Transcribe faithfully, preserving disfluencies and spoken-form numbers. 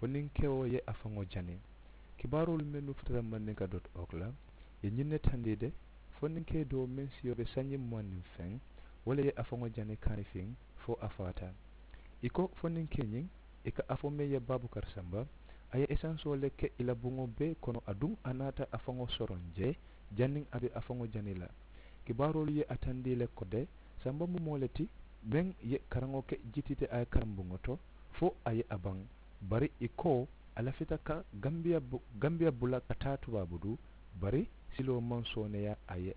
Foninkewo ye a faŋo jani. Kibaaroolu mennu futata mandinka dot org la, ye ñiŋ ne tandii de. Foninkee doo meŋ siyo be sanji muwaŋ niŋ feŋ, wo le ye a faŋo jani kaanifiŋ fo a faata. I ko foninkee ñiŋ, i ka a fo meŋ ye baabukar samba, a ye esansoo le ke i la buŋo bee kono aduŋ a naata a faŋo soroŋ jee, janniŋ a be a faŋo jani la. Kibaaroolu ye a tandii le ko de, samba mu moo le ti meŋ ye karaŋo ke jitiite a ye karambuŋo to fo a ye a baŋ. Bari i ko a lafita ka gambiya bula ka taa tubaabu duu. Bari siloo maŋ sooneeyaa a ye.